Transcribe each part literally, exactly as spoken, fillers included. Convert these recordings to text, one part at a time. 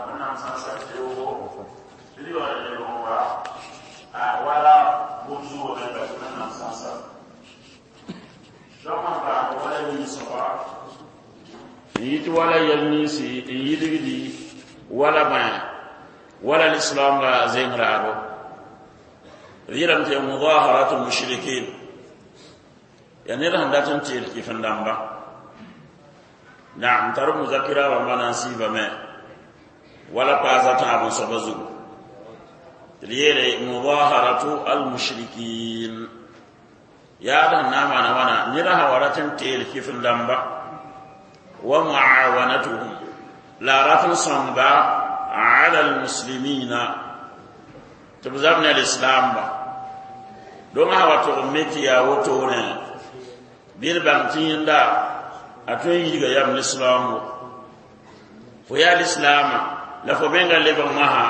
Wẽnnaam sã n sak teoogo tɩ d yaool n lebg n wa wala bʋ-zuugã menga tɩ Wẽnnaam sã n sak donc n paam wala nin-soaba n yit wala yɛl ninsi n yidgdi wala bãe wala lislaamga zeng raado d yeelame tɩ mudaharatu mushrikin yaa ned sẽn dat n teel kɩf-n-dãmba naam tar muzakira rãmbã na n siibame wala paasa tãab n soaba zugu tɩ d yeele mudaharatu almushrikin yaad sẽn na n maana wãna ned sã wa rat n teel kɩf-n-dãmba wa muawanatuhum la a rat n sõngba ala almuslimina tɩ b zab ne lislaamba dong sã wa tʋg n me tɩ yaa wotone bɩ d bãng tɩ yẽnda a tõe n yidga yam lislaambo fo yaa lislaama la fo menga lebg masã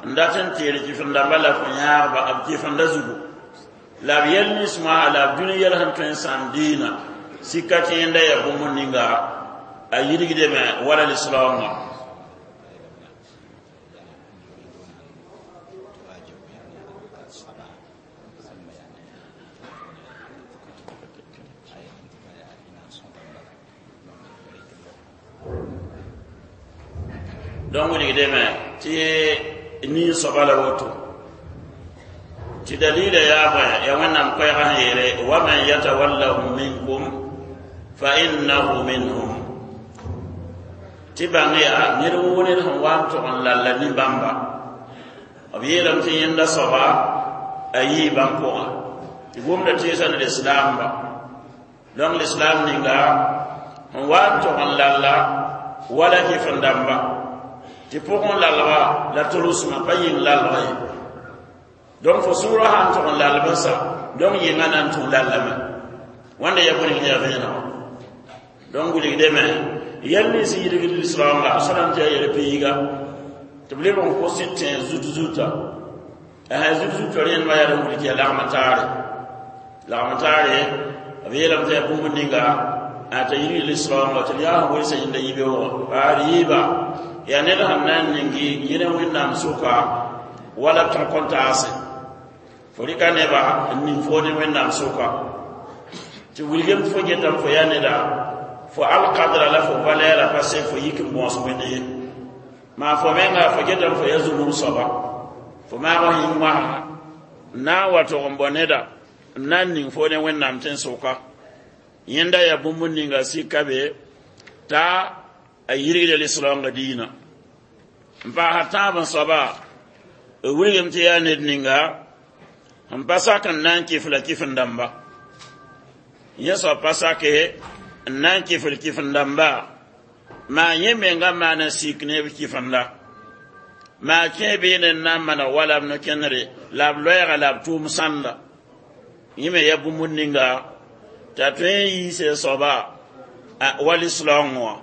n dat n teel kɩf-n-dãmba la fo yãagba b kɩf-n-da zugu la b yɛl nins masã la b dũni yɛl sẽn tõe n sãam diinã sika tɩ yẽnda yaa bũmb ninga a yidgdame wala lislaamã. Donc wilgdame tɩ nin-soaba la woto tɩ dalila yaa bõe yaa Wẽnnaam koɛɛgã sẽn yeele waman yatawallahum minkum fa innahu minhum tɩ bãng yaa ned woo ned sẽn wa n tʋg n lalla nin-bãmba b yeelame tɩ yẽnda soaba a yii bãmb pʋgã tɩ gomda teesã ne lislaamba donc lislaam ninga sẽn wa n tʋg n lalla wala kɩf-n-dãmba tɩ pʋgẽ lalga la tolsmã pa yĩng lalga ye donc fo sʋʋrã sã n tʋg n lalb n sa donc yɩngã na n tũ lallame wãnda ya bõe ning yaa vẽenegã donc wilgdame yɛl nins n yidgd lislaamga a sõnam tɩ yaa yɛl piiga tɩ b leb n kos tẽ zut zuta zut zuta rẽndmã yaa d n wilg tɩ yaa lagm n taare lagm n taare b yeelame tɩ yaa bũmb ninga t'a yidgd lislaamga tɩ d yaa sẽn welsa yẽnda yibeoogã a d yiiba yaa ned sẽn na n ningi yẽne Wẽnnaam sʋka wala b tɩg kõn taase fo rɩka neba n ning fo ne Wẽnnaam sʋka tɩ wilgem tɩ fo getame fo yaa neda fo alkadra la fo valɛɛra pa se fo yik n bõos Wẽnd ye maa fo menga fo getame fo yaa zulum soaba fo maag yĩng wãsga n na n wa tʋg n bɔ neda n na n ning fo ne Wẽnnaam tẽn-sʋka yẽnda yaa bũmb ninga sika be t'a a yirgda lislaoongã diinã n paasa tãab n soaba b wilgem tɩ yaa ned ninga sẽn pa sak n na n kɩf la kɩf-n-dãmba yẽ soab pa sake n na n kɩfd kɩf-n-dãmba maa yẽ menga maana sik ne b kɩf-n-da maa kẽ beene n na n maneg wala b no-kẽndre la b loɛɛga la b tʋʋm sãnda yẽ me yaa bũmb ninga t'a tõe n yiise soaba wa lislaoongẽ wã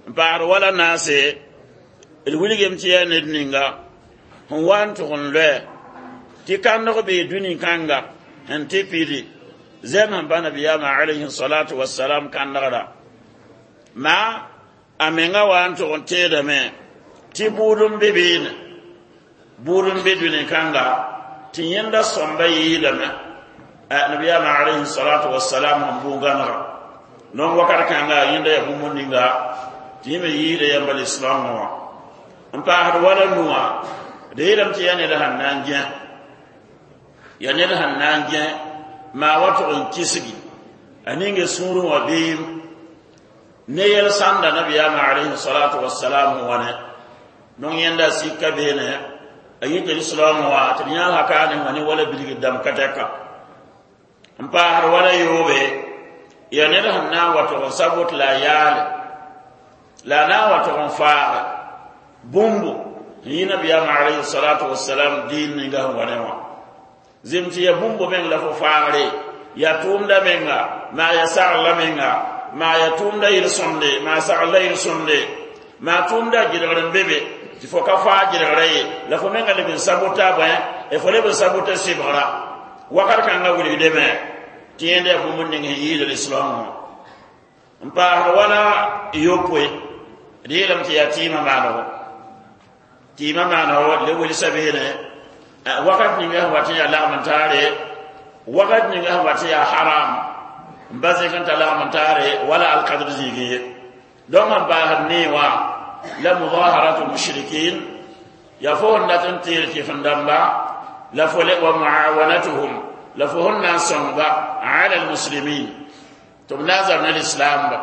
n paasd wala naase d wilgem tɩ yaa ned ninga sẽn wa n tʋg n loɛ tɩ kandg bee dũni kãnga sẽn tɩ pidi zɛm sẽn pa nabiyaamã alayhi salatu wasalam kãndgra maa a menga wa n tʋg n teedame tɩ bʋʋd n be beene bʋʋd n be dũni kãnga tɩ yẽnda sõmba yɩɩdame nabiyaamã alayhi salatu wasalam sẽn bʋ gãnega donc wakat kãnga yẽnda yaa bũmb ninga tɩ yẽ me yɩɩda yãmba lislaamã wã n paasd wala nuwã d yeelame tɩ yaa ned sẽn na n gẽ yaa ned sẽn na n gẽ maa wa tʋg n kisgi a ninge sũurẽ wã beem ne yɛl sãnda nabiyaamã alayhi salatu wasalam sẽn wa ne donc yẽnda sika beene a yita lislaamã wã tɩ d yãag hakaane wã ne wala bilgd dãmb ka tɛka n paasd wala yoobe yaa ned sẽn na n wa tʋg n sabot la a yaale la a na n wa tʋg n faage bũmbu n yɩ nabiyaamã alayhi salatu wasalam diin ninga sẽn wa ne wã zem tɩ yaa bũmbu meng la fo faagre yaa tʋʋmda menga maa yaa sagla menga maa yaa tʋʋmda yel-sõmde maa sagla yel-sõmde maa tʋʋmda gɩdgr n be be tɩ fo ka faa gɩdgrã ye la fo menga leb n sabota bõe fo leb n sabota sɩbgrã wakat kãngã wilgdame tɩ yẽnda yaa bũmb ning sẽn yɩɩd lislaam wã n paasd wala yopoe d yeelame tɩ yaa tɩɩmã maanego Tɩ yɩmã maana le welsa beene wakat ninga sẽn wat n yaa lagm n taare, wakat ninga sẽn wat n yaa haram n ba zẽk n ta lagm n taare wala alkadr zĩigẽ ye. Donc sẽn paasd nee wã la mudaharatu mushrikin, ya fo sẽn dat n teel kɩf-n-dãmba la fo le wa muawanatuhum, la fo sẽn na n sõngba ala almuslimin tɩ b na n zab ne lislaamba.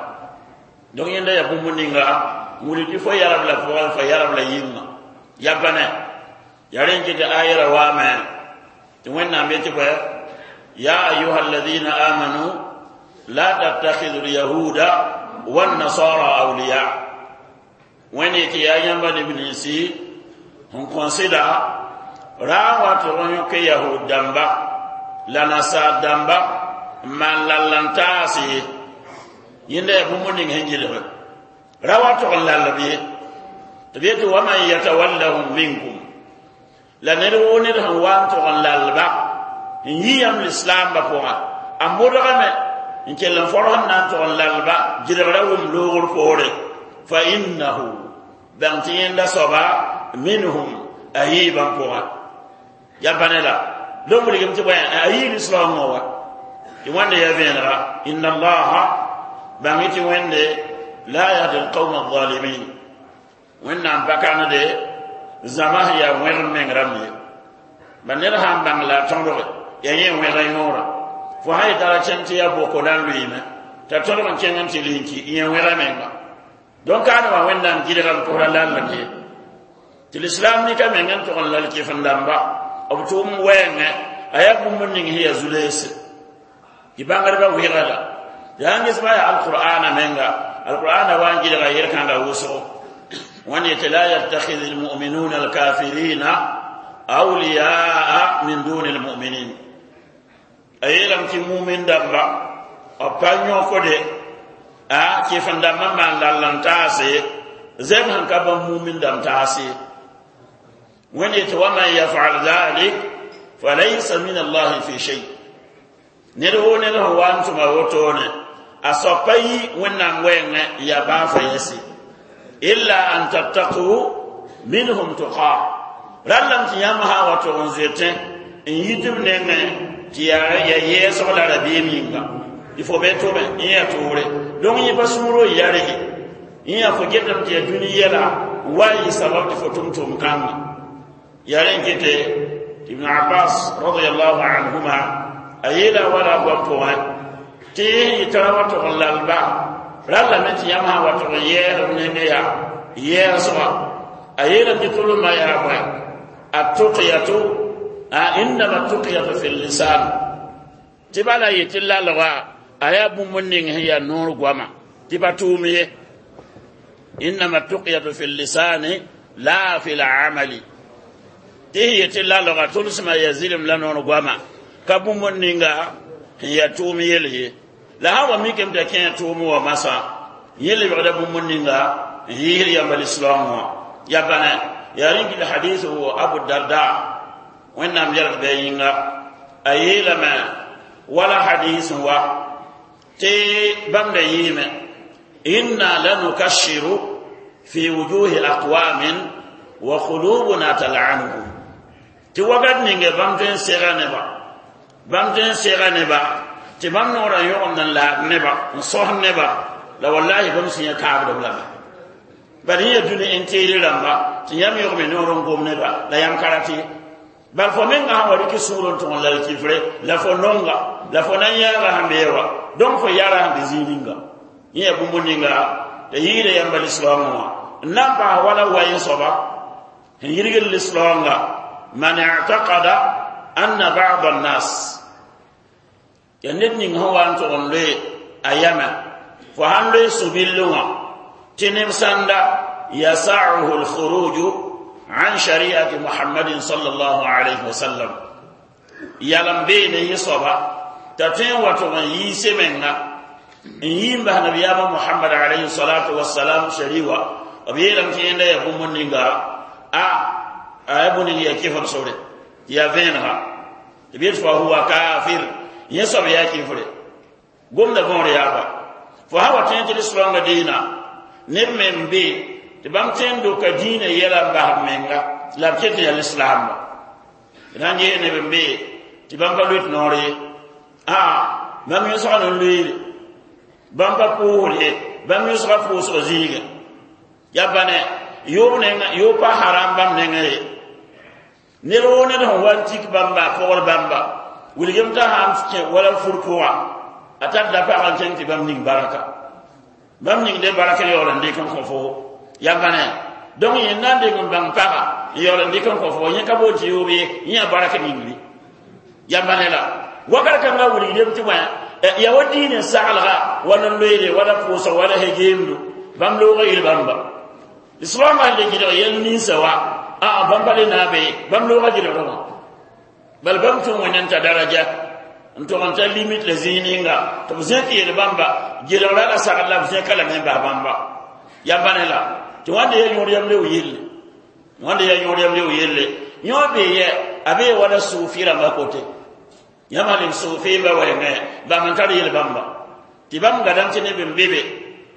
Donc yẽnda yaa bũmb ninga n wilg tɩ fo yarb la pʋgẽ, fo yarb la yĩnga ya bãne ya rẽn kɩ tɩ ayra waame tɩ Wẽnnaam yetɩ bõe: ya ayuha alladina amanu la tattakhidhu alyahuda wannasara awliya. Wẽnd yetɩ yaa yãmba neb ninsi sẽn kõsɩda ra n wa tɩg n yõk yahud dãmba la nasaar dãmba n maan lal n taas ye. Yẽnda yaa bũmb ning sẽn gilge ra wa tʋg n lalb ye, tɩ b yetɩ waman yatawallahum minkum, la ned woo ned sẽn wa n tʋg n lalba n yi yãmb lislaambã pʋgã, a modgame n kell n fõrs n na n tʋg n lalba gɩlgra wʋm loogr poore, fa innahu bãng tɩ yẽnda soaba minhum, a yiibã pʋgã ya bãne la donc wilgem tɩ bõe a yii lislaoongã wa tɩ Wẽnde ya vẽenega inna allaha bãng tɩ Wẽnde la yahdi alqawma alzalimin. Wẽnnaam pa kãnede zãma sẽn yaa wẽg n meng rãmb ye, ba ned sã n bãng la a tõdge yaa yẽ wẽg n yõora fo sã yetara kẽng tɩ yaa boko na n lʋɩɩme t'a tõdg n kẽng n tɩ linki yẽ wẽga menga. Donc kaane wã Wẽnnaam gɩdgame pʋsra lallem ye tɩ lislaam nika meng n tʋg n lal kɩf-n-dãmba b tʋʋm wɛɛngẽ a yaa bũmb ning sẽn yaa zu-leese tɩ bãngdbã wɩga la tɩ sãn ges baa yaa alqur'ana menga, alqur'ana wa n gɩdga yel-kãnga wʋsgo. Wẽnd yetɩ la yattakhidh almu'minuna alkafirina awliyaa min duni almu'minin, a yeelame tɩ mumin dãmba b pa yõkde a kɩf-n-dãmbã n maan lall n taase zɛb sẽn ka bãmb mumin dãmb taas ye. Wẽnd yetɩ waman yafal dhalik falaysa min allahi fi shay, ned woo ned sẽn wa n tʋma wotone a soapa yi Wẽnnaam wɛɛngẽ yaa baa fa yɛse, illa an tattaqu minhum tuqa, rallame tɩ yãmb sã n wa tʋg n zoetẽ n yi tɩ b nengẽ tɩ yaa yɛɛsg la rabiim yĩnga tɩ fo be tʋme n yaa toore. Donc yẽ pa sũuro n yarge yẽ yaa fo getame tɩ yaa dũni yɛla n wa n yɩ sabab tɩ fo tʋm tʋm kãngã yaa rẽn kɩte. Ibn Abbas radiallahu anhuma a yeela wala goam pʋgẽ tɩ yɩ tara wa tʋg n lalba rallame tɩ yãmb sã n wa tʋg n yɛɛs b nengẽ yaa yɛɛsga, a yeelame tɩ tʋlmã yaa bõe attuqyatu, innama tuqyatu fi lisan, tɩ bala yetɩ lalga a yaa bũmb ning sẽn yaa noor goama tɩ pa tʋʋm ye, innama tuqyatu fi lisani la fi lamali, tɩ sẽn yetɩ lalga tʋlsmã yaa zɩlem la noor goama ka bũmb ninga sẽn yaa tʋʋm yel ye. La sã n wa mikame t'a kẽ tʋʋm wa masã yẽ lebgda bũmb ninga n yiisd yãmba lislaam wã ya bãne yaa rĩng la hadis wo Abu Darda, Wẽnnaam yɛlg bɩ a yĩnga, a yeelame wala hadis wa tɩ bãmb da yɩɩme inna lanukashiru fi wujuhi aqwamin wa qulubuna tal'anuhum, tɩ wakat ninge bãmb tõe n sega neba, bãmb tõe n sega neba tɩ bãmb noorã yõgemd n laad neba n sos neba la wallahi bãmb sẽn yã kaabdb lame bal yẽ yaa dũni n teere rãmba tɩ yãmb yõgme noor n gom neba la yãmb ka rat ye, bal fo menga sã wa rɩk sũur n tõg n lal kifre la fo nonga la fo na n yãaga sẽn bee wa, donc fo yara sẽn be zĩig ninga yẽ yaa bũmb ninga t'a yɩɩda yãmba lislaoongã wã n na n paas wala wayen soaba sẽn yirgd lislaoonga man i'taqada anna ba'd an-nas, ya ned ning sẽn wa n tʋg n loe a yamã fo sãn loe sũ-billẽ wã tɩ neb sãnda yasauhu lkhuruju an shariati Muhammadin sallallahu alayhi wa sallam, yalem beene yẽ soaba t'a tõe n wa tʋg n yiise menga n yi n bas nabiyaamã Mohamad alayhi salatu wasalam shari wa b yeelame tɩ yẽnda yaa bũmb ninga a a yaa bũmb ning yaa kɩfr sore tɩ yaa vẽenega tɩ b yet fa huwa kafir, yẽ soab yaa kɩfre gomda võor yaaba fo sã wa tõe tɩ lislaoongã dĩinã neb me n be Tɩ bãmb tõe n doka dĩinã yɛla n bas b menga la b ket yaa lislaamba d sãn ges neb n bee tɩ bãmb pa loet noor ye aa bãmb yõsga n loeere bãmb pa pʋʋsd ye bãmb yõsga pʋʋsg zĩigã ya bãne yoob nenga yoob pa haram bãmb nengã ye ned woo ned sẽn wa n tik bãmba pʋgd bãmba wilgem t'a sãn kẽ wala fur pʋga a tar da pag n kẽng tɩ bãmb ning baraka bãmb ning de baraka yaool n dɩk n kõ fo ya bãne donc yẽ na n deng n bãng paga n yaool n dɩk n kõ fo yẽ ka boond tɩ yoob ye yẽ yaa baraka ningri ya bãne la wakat kãngã wilgdem tɩ wã ya wa diinẽ saglga wala n loeere wala pʋʋsg wala hegeemdo bãmb loogã yel bãmba lislaambã sẽn le gɩdg yɛl ninsã wa aa bãmb pa le na n be bãmb loogã gɩdgdẽ wã bal bãmb tũ wẽnd n ta daraja n tog n ta limit la zĩig ninga tɩ b zẽk yel bãmba gɩdgrã la sagl la b zẽka lame n bas bãmba ya bãne la tɩ wãnda yaa yõod yam leo yelle wãnda yaa yõod yam leo yelle yõ bee yɛ a bee wala suufi rãmbã kote yãmb leb suufi ba wɛɛngẽ bãmb n tar yel bãmba tɩ bãmb gadame tɩ neb n be be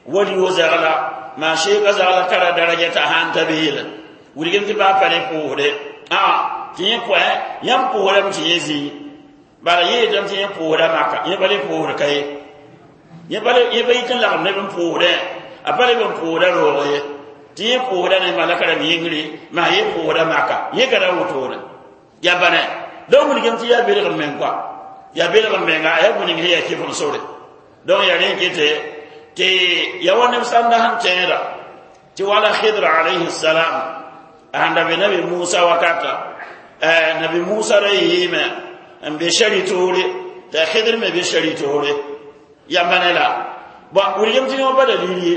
wali wo zagla maa sheeka zagla tara daraja t'a sãn ta beelẽ wilgem tɩ baa pa ne pʋʋsde aa tɩ yẽ kɔɛ yãmb pʋʋsdame tɩ yẽ zĩig bala yẽ yetame tɩ yẽ pʋʋsda maka yẽ pa le pʋʋsd ka ye yẽ pa yit n lagem neb n pʋʋsdẽ a pa leb n pʋʋsda roog ye tɩ yẽ pʋʋsda ne malaka rãmb yĩngri maa yẽ pʋʋsda maka yẽ gada wotone ya bãne donc wilgem tɩ yaa belg n meng kɔa yaa belg n menga a yaa bũn ning sẽn yaa kɩf n sore donc yaa rẽ kɩte tɩ ya wa neb sãnda sẽn tẽeda tɩ wala khidr alayhi salam a sãn da be nabi musa wakata nabi musa ra yɩɩme n be shari toore t'a khidr me be shari toore ya bãne la bon wilgem tɩ yõ pa dalil ye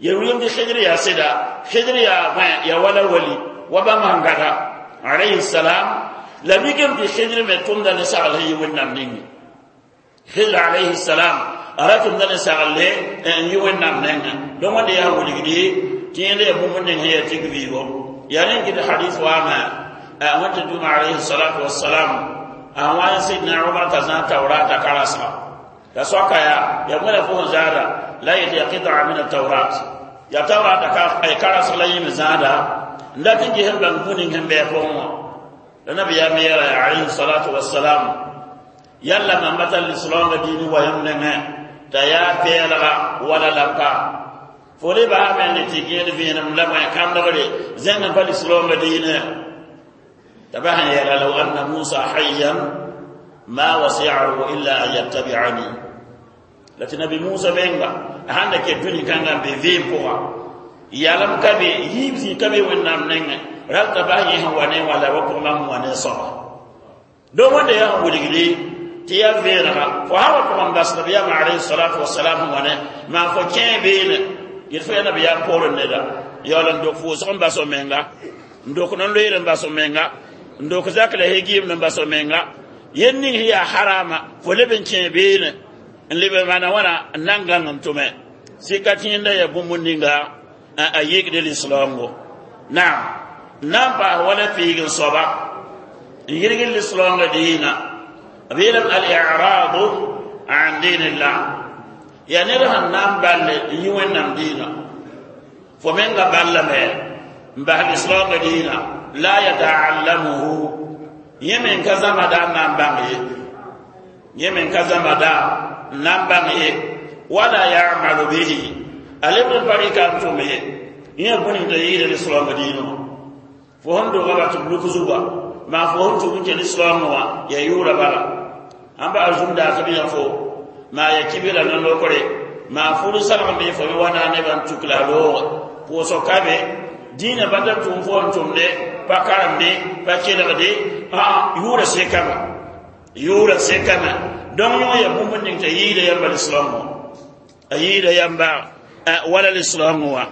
ya wilgem tɩ khidr yaa sɩda khidr yaa yaa wala wali wa bãmb sẽn gada alayhi salam la mikame tɩ khidr me tʋmda ne sagl sẽn yi wẽnnaam ninge khidr alayhi salam a ra tʋmda ne sagle n yi wẽnnaam nengẽ donc wãnda yaa wilgdi tɩ yẽnda yaa bũmb ning sẽn yaa tik vɩɩgo yaa rẽ n kɩt hadis waame wẽn tɩ dũma alayhi salatu wasalam a wa n sidna umar t'a zãag taurata karasga t'a soaka yaa ya wẽna fo sẽn zaada la yet ya qita min ataurat ya taurata karasg la yẽme zãada n dat n ges n bãng bũ ning sẽn bɩ a pʋgẽ wã la nabiyaam yeela alayhi salatu wasalam yalla mam pa tar lislaoongã diini wa yãmb nengẽ t'a yaa pɛɛlga wala lampa fo le baame ne tɩ gẽed vẽenem la bõe kãndgre zẽng n pa lislaoongã diinẽ t'a bas n yeela law anna musa hayyan ma wasi'ahu illa an yattabi'ani la tɩ nabi musa menga a sãn da ket dũni kãngã n be vɩɩm pʋga yalem ka be yiib zĩ ka be wẽnnaam nengẽ ral t'a bas yẽ sẽn wa ne wã la wa pʋg mam wã ne soaba donc wẽnda yaa sẽn wilgdi tɩ yaa vẽenega fo sã wa pʋgẽ bas nabiyaam alayhi salatu wasalam sẽn wa ne maa fo kẽe beene yet fo yaa nabiyaam poorẽ neda yaool n dok fʋʋsg n bas o menga n dok n loeer n bas o menga n dok zak la hegiim n bas o menga yel ning sẽn yaa harama fo leb n kẽe beene n leb n maana wãna n na n gãng n tʋme sɩka tɩ yẽnda yaa bũmb ninga a yikd lislaoongo naam n na n paas wala piig n soaba n yirg lislaoongã diina b yeelame al-i'radu an dinillah yaa ned sẽn na n balle n yi wẽnnaam diina fo menga ballame n bas lislaoongã diina la yataallamuhu yẽ men ka zãmada n na n bãng ye yẽ men ka zãmada n na n bãng ye wala yamalu bihi a lebd n pa rɩka n tʋm ye yẽ bũn t'a yɩɩda lislaoongã diinã wã fo sẽn doga ba tɩ b luk zuga maa fo sẽn tʋg n kẽ lislaoongã wã yaa yʋʋra bala ãmba arzũm daas b yã fo maa ya kibra na lokre maa fur salg me fo me wa na nebã n tuk la a looge pʋʋsg ka be dĩinã pa tar tʋʋm fo n tʋmde pa karemde pa kelgde aa yʋʋra sekame yʋʋra sekame donc yõ ya bũmb ning t'a yɩɩda yãmba lislaam wã a yɩɩda yãmba wala lislaam wã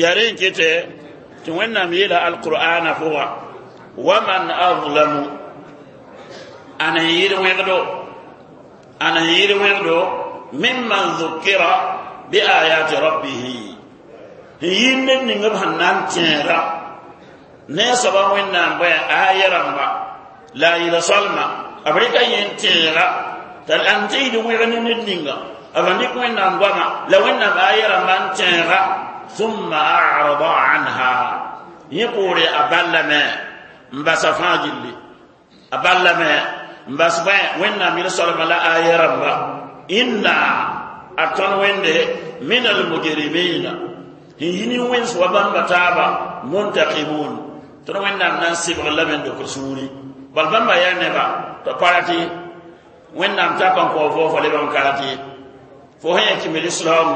yaa rẽ n kete tɩ wẽnnaam yeela alqur'ana pʋga waman azlamu ana n yɩɩd wẽgdo ana n yɩɩd wẽgdo mimman dhukira biayati rabbihi n yɩɩd ned ning b sẽn na n tẽeda ne a soaba wẽnnaam bõe aya rãmba la a yɩla soalma b rɩka yẽ n tẽega t'a n tɩ yɩd wẽg ne ned ninga b sẽn dɩk wẽnnaam goama la wẽnnaam aya rãmba n tẽega Thumma a'rada anha yẽ poore a ballame n basa fãa gilli a ballame n bas bõe wẽnnaam yel-soalmã la aya rãmba inna a tõnd wẽnde min almujrimina sẽn yi nin-wẽns wa bãmba taaba muntakimun tõnd wẽnnaam na n sɩbg lame n dok sũuri bal bãmba yaa neba tɩ pa rat ye wẽnnaam tak n kao fo fo leb n ka rat ye fo sẽn yaa kimd lislaam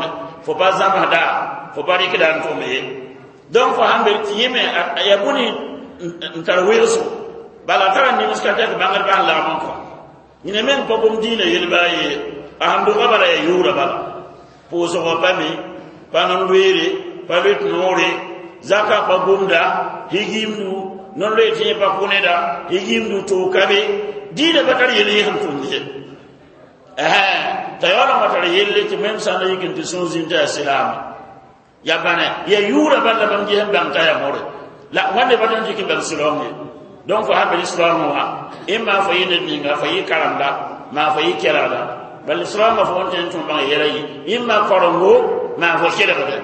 fo pa zãmsda fo pa rɩkda n tʋm ye donc fo sãn be tɩ yẽ me yaa bũni n tar weoosgo bala a tara nims ka tɛk bãngdbã sẽn lagm n kõ yẽne meng pa gom dĩinã yel-baa ye a sẽn doga bala yaa yʋʋra bala pʋʋsgã pa mi pa non-loeere pa loet noore zaka pa gomda higiimdu non-loe tɩ yẽ pa kʋ neda higiimdu toog ka be dĩinã pa tar yel yẽ sẽn tʋmd ye t'a yaool n wa tar yelle tɩ mem sã n la yik n tɩ sũur zĩnd tɩ yaa silaama ya bãne ya yʋʋra bal la bãmb ges n bãng t'a yaa more la wãnde pa tõnd dɩk n bãng silaam ye donc fo sã be lislaamẽ wã ẽn maa fo yɩ ned ninga fo yɩ karemda maa fo yɩ kelgda bal lislaamã fo wõn tõe n tũ bãng yɛla yɩ ẽn maa korengo maa fo kelgde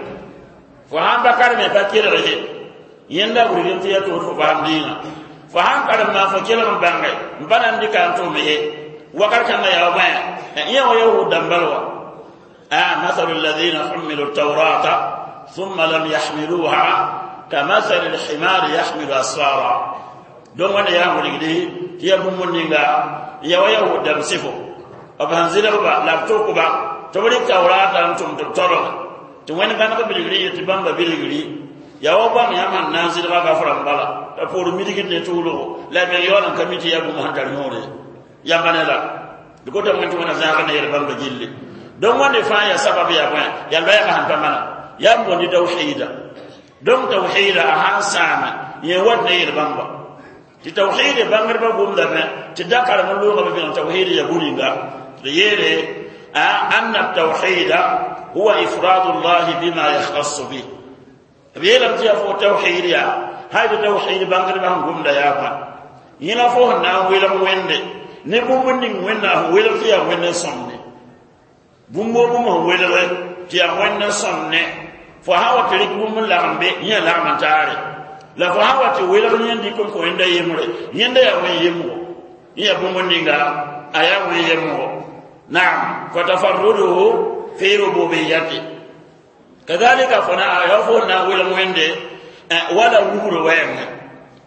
fo sãn pa kareme pa kelg ye yẽnda wilgem tɩ ya toor fo faam dĩinã fo sãn karem maa fo kelg n bãnge n pa na n dɩka n tʋm ye wakat kãngã yaa bõe yẽ wa yahud dãmbal wa مثل الذين حملوا التوراة ثم لم يحملوها كمثل الحمار يحمل أسفارا donc wẽnda yaa wilgdi tɩ yaa bũmb ninga ya wa yahud dãmb sɩfo b sẽn zɩlgba la b tʋkba tɩ b rɩk taoraata n tʋm tɩ b tolg tɩ wẽnd gãneg bilgri ye tɩ bãmba bilgri yaa wa bãmb yãmb sẽn na n zɩlga gaf-rãmb bala t'a poor midgd ne tʋʋlgo la meng yaool n ka mi tɩ yaa bũmb sẽn tar yõore yãmba ne la d gotame wẽnd tɩ wẽna zãag ne yel bãmba gilli donc wãnde fãa yaa sabab yaa bõe yaa loɛɛgã sẽn pa mana yaa n bondi tawhiida donc tawhiida a sãn sãame yẽ wat ne yel bãmba tɩ tawhiid bãngdbã gomdame tɩ da karem n loogame bɩg tawhiid ya buninga d yeele anna tawhida huwa ifradu llahi bima yakhtassu bih b yeelame tɩ yaa fo tawhiid yaa hay tɩ tawhiid bãngdbã sẽn gomda yaa bõe yẽ la fo sẽn na n welg wẽnde ne bũmb ning wẽnnaam sẽn welg tɩ yaa wẽnd n sõmne bũmb o bũmb sẽn welge tɩ yaa wẽnd n sõmne fo sã wa tɩ rɩk bũmb n lagem be yẽ lagem n taare la fo sã wa tɩ welg yẽnd dɩk n kõ yẽnda yembre yẽnda yaa wẽn yemgo yẽ yaa bũmb ninga a yaa wẽn yemgo naam fatafarruduhu fi rububiyati kadhalika fo na ya fo na welg wẽnde wala wugr wɛɛngẽ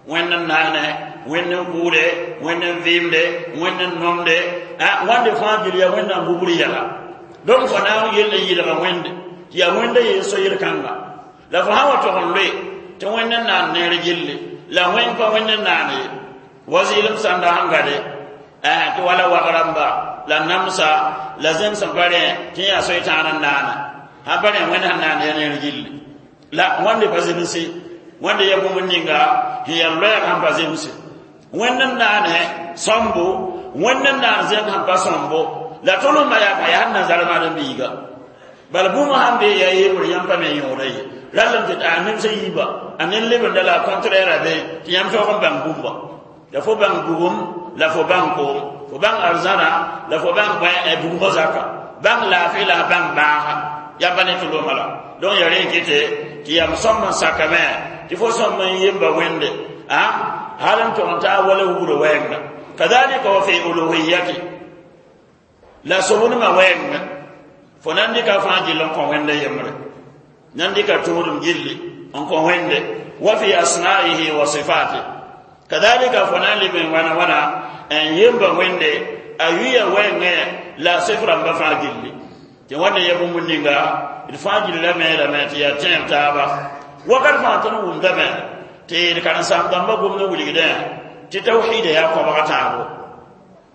wẽnd n naane wẽnd n kʋʋde wẽnd n vɩɩmde wẽnd n nomde wãnde fãa gil yaa wẽnnaam bubr yɛla donc fo na n yell n yɩlga wẽnde tɩ yaa wẽnda yeen so yel-kãnga la fo sã wa tog n loe tɩ wẽnd n naan neer gilli la wẽng pa wẽnd n naan ye wa zɩɩlem sãnda sẽn gade tɩ wala wag-rãmba la namsa la zẽm sẽn pa rẽ tɩ yaa soy-tãan n naana sãn pa rẽ wẽnd sẽn naan yaa neer gilli la wãnde pa zemse wãnde yaa bũmb ninga sẽn yaa loɛɛg sẽn pa zemse wẽnd n naane sõmbo wẽnd n naan zẽng sẽn pa sõmbo la tʋlmã yaa pa yaa sẽn na zalmaad n biiga bala bũmb sãn bee yaa yembre yãmb pa me yõoda ye rallem tɩ a nemsa yiiba a nen lebenda la a contraire be tɩ yãmb tõog n bãng bũmba la fo bãng bugum la fo bãng koom fo bãng arzãna la fo bãng bõe bugmã zaka bãng laafɩ la bãng bãaga yãmba ne tʋlʋmã la donc ya rẽ kɩte tɩ yam sõm n sakame tɩ fo sõm n yemba wẽnde a hal n tʋg n taa wala wugr wɛɛnga kadhalika wa fi uluhiyati la sobnema wɛɛngã fo nan dɩka fãa gill n kõ wẽnda yembre nan dɩka tʋʋdem gilli n kõ wẽnde wa fi asma'ihi wa sifati kadhalika fo na n leb n wãna wãna n yemba wẽnde a yuya wɛɛngẽ la a sɩf rãmbã fãa gilli tɩ wãnde ya bũmb ninga d fãa gillame lame tɩ yaa tẽeb taaba wakat fãa tõnd wʋmdame tɩ d karen-saam dãmbã gomd n wilgdẽ tɩ tawhiida yaa koabga tãabo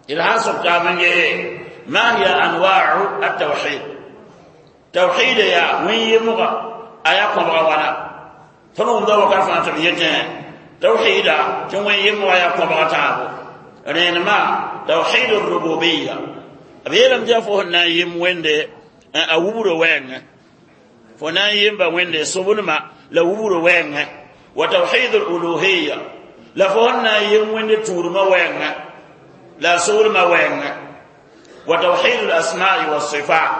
d sã n sʋk taab n gee ما هي أنواع التوحيد توحيد يا وين يمغا أيا كبغا وانا فنوم دو وكان فانت بيتين توحيد وين يمغا يا كبغا تابو رينما توحيد الربوبية أبيلم جافو نايم ويندي أوبرو وين فنايم با سبنما لا وبرو وين وتوحيد الألوهية لا فهنا يم ويندي تورما وين لا سورما وين وتوحيد الأسماء والصفات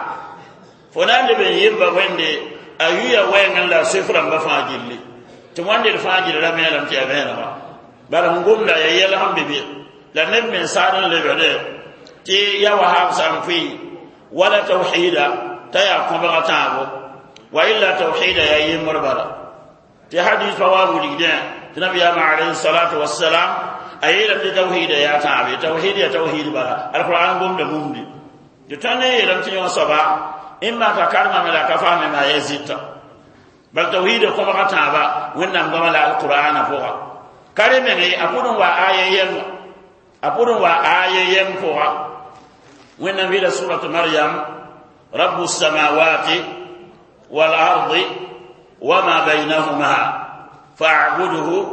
فنان بن يبا ويندي A yuya wɛɛngẽ la sʋɩf rãmbã fãa gilli tɩ wãnde d fãa gil ra vẽelem tɩ yaa vẽenega bala sẽn gomda yaa yɛl sẽn be be la neb mens saad n lebde tɩ ya wahab sã n pʋɩ wala tawhida t'a yaa kõbga tãabo wa illa tawhida yaa yembr bala tɩ hadis pa wa wilgdẽ tɩ nabiyaamã alayhi salatu wassalam a yeelame tɩ tawhida yaa tãabe tawhid ya tawhid bala alquran gomda mumdi tɩ tõnd n yeelame tɩ yõ soaba imma ka karmame la ka faamema ya zɩta bal tawhid kõbga tãaba wẽnnaam goama la alqur'ana pʋga kare menge a pʋd n wa aya yɛm a pʋd n wa aya yɛm pʋga wẽnnaam yɩla surat maryam rabu samawati والأرض وما بينهما فاعبده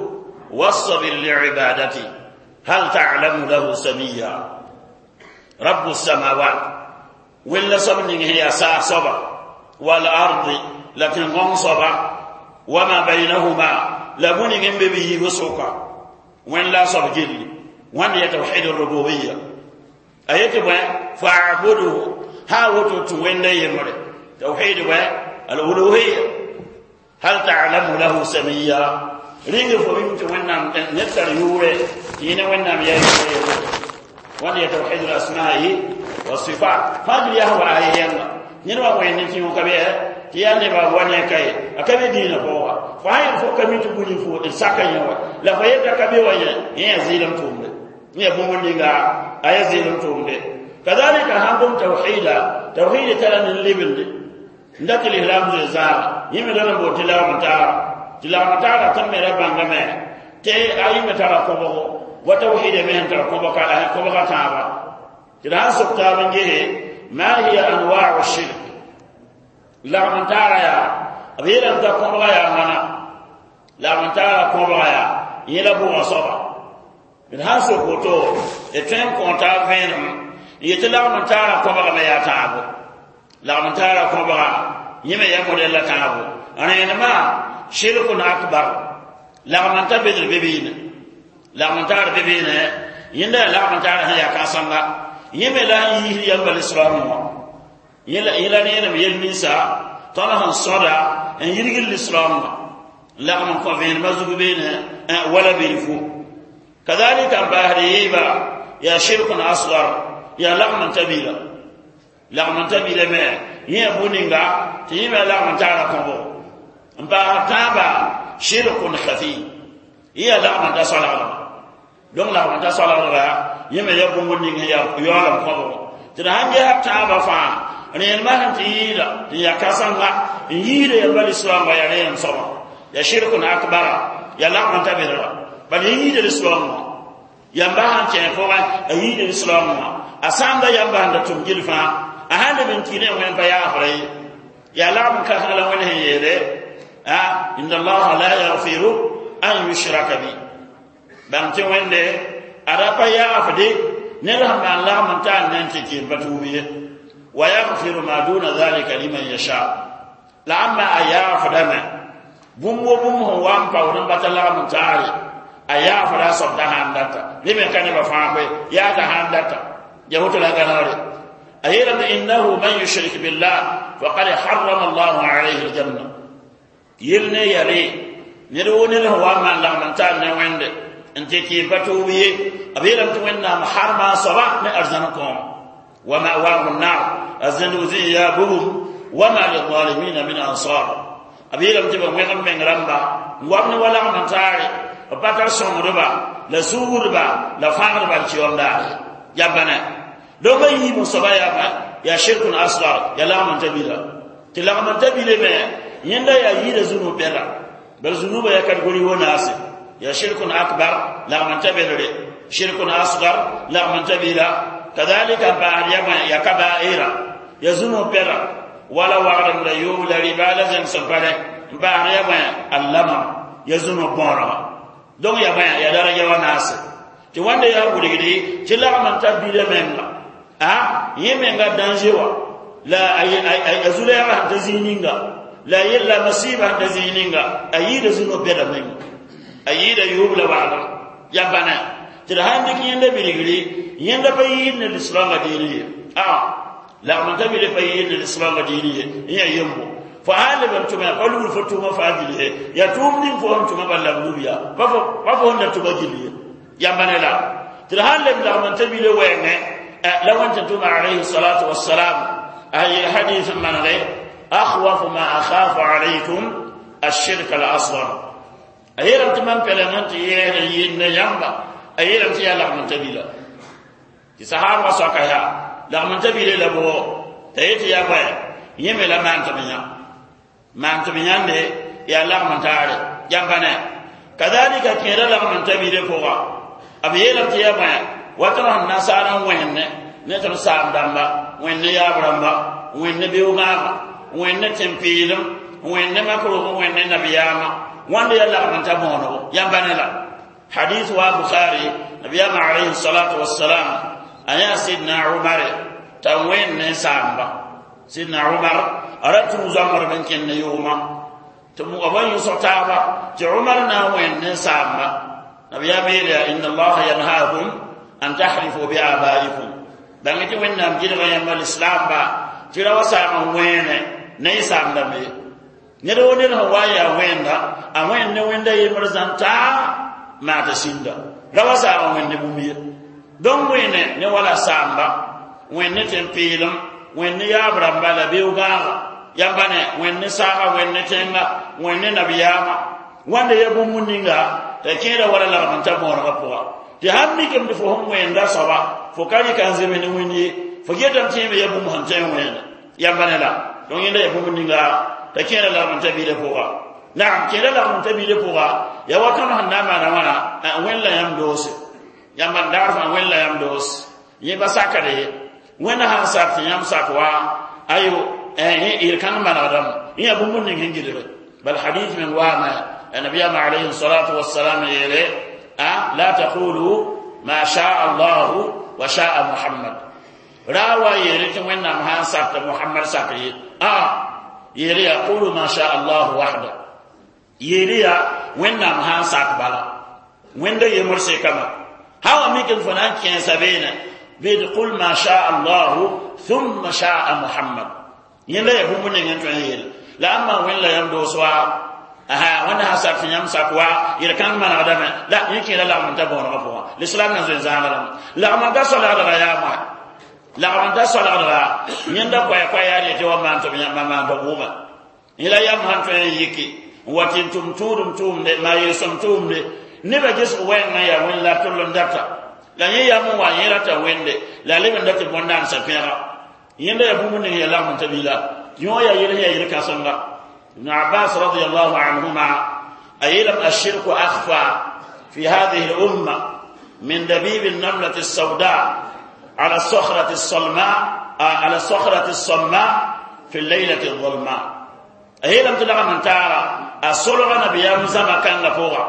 واصبر لعبادته هل تعلم له سميا رب السماوات ولا صبر هي سا صبر والأرض لكن غن صبر وما بينهما لبني به وسوكا وين لا صبر جلي وين يتوحيد الربوبية أيتي فاعبده ها وتو وين يمر توحيد الألوهية هل تعلم له سميا رينغ فويم توينام نتر يوري ينا وينام يا يوري وان يتوحيد الأسماء والصفات فاجل يهو آيين نيروا وين نتي وكبي تيان نبا وان كاي أكبي دين فوا فاين فو كمي تقولي فو الساكا يوا لا فيتا كبي وين هي زيلم تومde ني بومون آية زيلم تومde كذلك هنقوم توحيدا توحيد ترى من لبند ndati l'islam ze zaa yime la bo tilawa mutara tilawa mutara tan me rabanga me te ayi me tara ko bo wa tawhid me han tara ko bo ka ko bo ka ta ba tira sokta ban je ma hiya anwa'u shirk la mutara ya abiran ta ko bo ya mana la mutara ko bo ya yela bo soba min han so ko to e ten ko ta ven yete la mutara ko bo me ya ta bo la mutara ko ba yime ya model la taabu ana ma shirkun akbar la man ta bedr bebine la man ta bebine yinda la man ta ya ka sanga yime la yi ya bal islam mo yila yila ne ne yel nisa tala han sada en yirgil islam la man ko ven mazugu bene wala bilfu kadhalika bahriba ya shirkun asghar ya la man tabila lagm n ta bila me yẽ bũninga tɩ yẽ me lagm n taara kõbo n paas tãaba shirkun khafi yẽ lagm n ta soalgdba donc lagm n ta soalgdba yẽ me ya bũmb ning sẽn yaa yaoolem kõbgo tɩ d sãn ges tãabã fãa rẽenemã sẽn tɩ yɩɩda tɩ yaa kãsenga n yɩɩda yamba lislaoongã yaa rẽenem soaba ya shirkun akbara ya lagm n ta belga bal yẽ yɩɩda lislaoongã yamba sãn kẽ pʋgẽ a yɩɩda lislaoongã a sãamda yamba sẽn da tʋm gil fãa a sãn leb n kɩ ne wẽn pa yaafra ye yaa lagm kãseng la wẽnd sẽn yeele a inna allaha la yaghfiru an yushraka bi bãng tɩ wẽnde a ra pa yaafde ned sẽn maan lagm n taan ne n tɩ kɩ n pa tuub ye wa yaghfiru ma duna dhalika liman yasha la ãmba a yaafdame bũmb wo bũmb sẽn wa n paood n bata lagm n taare a yaafda a soab t'a sãn data ne me ka nebã fãa koe yaa t'a sãn data ya woto la gãnegre أيلم إنه من يشرك بالله فقد حرم الله عليه الجنة يلني يلي نرون هو من لا من تان وند انت كي بتوبي أبيلم تونا محرم صباح من ومأواه النار الزنوزي يا بهم وما للظالمين من أنصار أبيلم تبا ويغم من رمبا وابن ولا من تاري وباتر سومربا لا سوربا لا فاغربا تيوم دار يا بنا لو ما يي مصبا يا ما يا شرك أصغر يا لا من تبيلا تلا من تبيلا ما يندا يا يي ذنوب بلا بل ذنوب يا كاتغوري وناس يا شرك أكبر لا من تبيلا شرك أصغر لا من تبيلا كذلك بعد يا كبائر يا ذنوب بلا ولا وعد لا يوم لا ربا لا زن سفره بعد يا اللمم يا ذنوب بورا donc ya bãe ya daraja wa naase tɩ wãnda yaa wilgde tɩ lagm n ta bila menga a yẽ menga danger wa la a zu-lɛɛgã sẽn ta zĩig ninga la yella masiibã sẽn ta zĩig ninga a yɩɩda zũno bɛda menga a yɩɩda yoob la wagdem ya bãna tɩ d sãn dɩk yẽnda bilgri yẽnda pa yɩɩd ne lislaangã diini ye a lagm n ta bile pa yɩɩd ne lislaangã diini ye yẽ yaa yembo Fo sã n leb n tʋma pa lugr fo tʋʋmã fãa gill ye yaa tʋʋm ning fo sẽn tʋma bal la b lub ya pa fo sẽn da tʋma gill ye yãmba ne la tɩ d sã n leb lagm n ta bile wɛɛngẽ la wẽn tɩ tʋma alayhi salatu wassalam a yel hadis n manege akhwafu ma akhafu alaykum ashirk al asghar a yeelame tɩ mam pɛleng n tɩ yɛɛd n yɩnd ne yãmba a yeelame tɩ yaa lagm n ta bila tɩ sahaabã soaka yaa lagm n ta bile la bʋgo t'a yetɩ yaa bõe yẽ me la maan tɩ b yã maan tɩ b yãnde yaa lagm n taare yãmba ne kadalika kẽeda lagm n ta bile pʋga b yeelame tɩ yaa bõe wa tõnd sẽn nasaar n wẽnne ne tõnd saam dãmba wẽnne yaab rãmba wẽnne beoogãagã wẽnne tẽn-peelem wẽnne makrog wẽnne nabiyaamã wãnda yaa lagm n ta bõonego yãmba ne la hadith wa bukhari nabiyama alayhi salatu wassalam a yã sidna umar t'a wẽnd ne saamba sidna umar a ra tũ zãmbdb n kẽnd ne yʋʋmã tɩ b wa yõsg taaba tɩ umar na n wẽnd ne saamba nabiyam yeela yaa inna allaha yanhaakum an tahlifu bi abaikum bãng tɩ wẽnnaam gɩdga yãmba lislaamba tɩ ra wa saam n wẽene ne y saamdame ye ned wo ned sẽn wa n yaa wẽnda a wẽnd ne wẽnda yembr zãn taa maa tɩ sĩnda ra wa saam n wẽnd ne bũmb ye donc wẽne ne wala saamba wẽnd ne tẽn-peelem wẽnd ne yaab rãmba la beoog-gãaga yãmba ne wẽnd ne saaga wẽnd ne tẽnga wẽnd ne nabiyaamã wãnda ya bũmb ninga t'a kẽeda wala lagm n ta bõonegã pʋga tɩ sãn mikame tɩ fo sẽn wẽnda soaba fo ka rɩka n zems ne wẽnd ye fo getame tɩ yẽme ya bũmb sẽn tõe n wẽene yãmba ne la donc yẽnda ya bũmb ninga t'a kẽeda lagm n ta biilã pʋga naam kẽeda lagm n ta biilã pʋga ya wa tõnd sẽn na n maana wãna wẽnd la yãmb doose yãmba n dagd fãa wẽnd la yãmb doose yẽ ba sakd ye wẽnda sãn sak tɩ yãmb sak wa ayo yel kãng manegdame yẽ yaa bũmb ning sẽn gilge bal hadith meng waame nabiyama alayhi salatu wassalam yeele la taqulu ma shaa allahu wa shaa muhammad ra wa yeele tɩ wẽnnaam sãn sak tɩ muhammad sak ye a yeele yaa qulu ma shaa allahu wahda yeele yaa wẽnnaam sãn sak bala wẽnda yembr sekama sã wa mik n fo na n kẽesa beene bɩ qul ma shaa allahu thumma shaa muhammad yẽnda yaa bũmb ning n tõe n yeele la ãmba wẽnd la yãmb doos wa aha wẽnda sã sak tɩ yãmb sak wa yel kãng manegdame la yẽ kẽeda lagm n ta bõonegã pʋgã l'islam na zoe zãaga lame lagm n ta soalgdga yaa moa lagm n ta soalgdga yẽnda koɛ-koɛ yaa yetɩ wa maan tɩ b yãmba maan tɩ b wʋma yẽ la yãmb sãn tõe n yiki n wa tɩ n tʋm tʋʋdem tʋʋmde maa yel-sõm tʋʋmde nebã gesg wɛɛngã yaa wẽnd la tʋll n data la yẽ yam n wa yẽ rata wẽnde la leb n dat tɩ bõn-daansã pẽga yẽnda yaa bũmb ning yaa lagm n ta bila yõ yaa yel sẽn yaa yel-kãsenga ibn abbas radiallahu anhuma a yeelame الشرك أخفى في هذه الأمة من دبيب النملة السوداء على الصخرة الصلماء على الصخرة الصماء في الليلة الظلماء a yeelame tɩ lagm n taara a solga nabiyaam zãma kãngã pʋga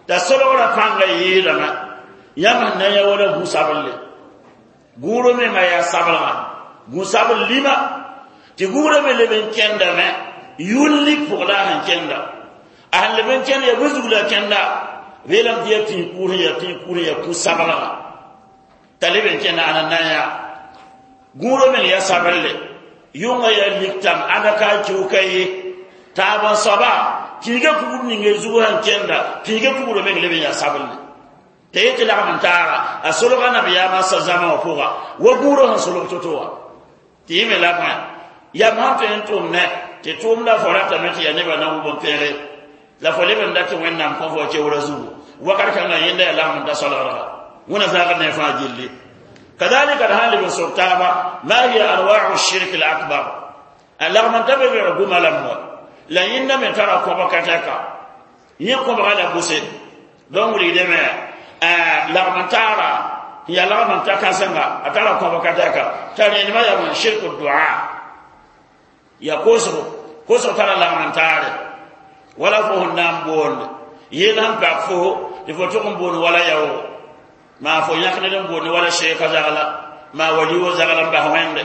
t'a solgrã pãngã yɩɩdame yãmb sẽn na n yã wala gũ-sablle gũuro menga yaa sablga gũ-sabl lima tɩ gũurã me leb n kẽndame yʋllik pʋg la a sẽn kẽnda a sẽn leb n kẽnd yaa bõe zug la a kẽnda b yeelame tɩ yaa tĩig kuur sẽn yaa tĩig kuur sẽn yaa kũ-sablga t'a leb n kẽnda ãna na n yaa gũurã meng yaa sablle yʋngã yaa liktam ãda ka a kiuka ye taab n soaba pĩiga kugr ning zug sẽn kẽnda pĩiga kugrã meng leb n yaa sablle t'a yetɩ lagm n taara a solga nabiyaamã sa zãma wã pʋga wa gũurã sẽn solg to-to wã tɩ yẽ me la bõe yam sãn tõe n tʋm ne tɩ tʋʋmda fo ratame tɩ yaa nebã na wʋb n pẽge la fo leb n dat tɩ wẽnnaam kõ fo keoora zugu wakat kãngã yẽnda yaa lagm n ta solgdga wẽna zaagd ne fãa gilli kadalika d sãn leb n sob taaba ma hiya anwau shirk al akbar a lagm n ta be bɛg guma lam wa la yẽnda me tara kõbg ka tɛka yẽ kõbga la bʋse donc wilgdame lagm n taara n yaa lagm n ta kãsenga a tara kõbg ka tɛka t'a rẽndmã yaa bõe shirk dua ya kosgo kosg tara lagm n taare wala fo sẽn na n boonde yel sẽn pak fo tɩ fo tʋg n boond wala yaoogo maa fo yãk ned n boonde wala sheeka zagla maa wali wo zagla n bas wẽnde